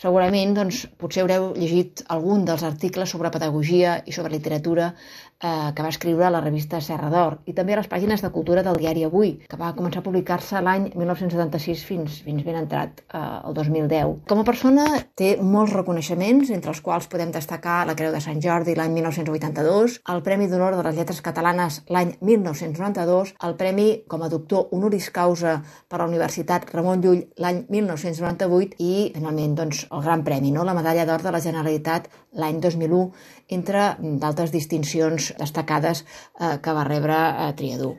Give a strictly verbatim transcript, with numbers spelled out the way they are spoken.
Segurament, doncs, potser haureu llegit algun dels articles sobre pedagogia i sobre literatura eh, que va escriure a la revista Serra d'Or i també a les pàgines de cultura del diari Avui, que va començar a publicar-se l'any mil nou-cents setanta-sis fins, fins ben entrat eh, el dos mil deu. Com a persona té molts reconeixements, entre els quals podem destacar la Creu de Sant Jordi l'any mil nou-cents vuitanta-dos, el Premi d'Honor de les Lletres Catalanes l'any mil nou-cents noranta-dos, el Premi com a doctor honoris causa per la Universitat Ramon Llull l'any mil nou-cents noranta-vuit i, finalment, doncs, el Gran Premi, no? La Medalla d'Or de la Generalitat l'any dos mil u, entre d'altres distincions destacades eh, que va rebre eh, Triadú.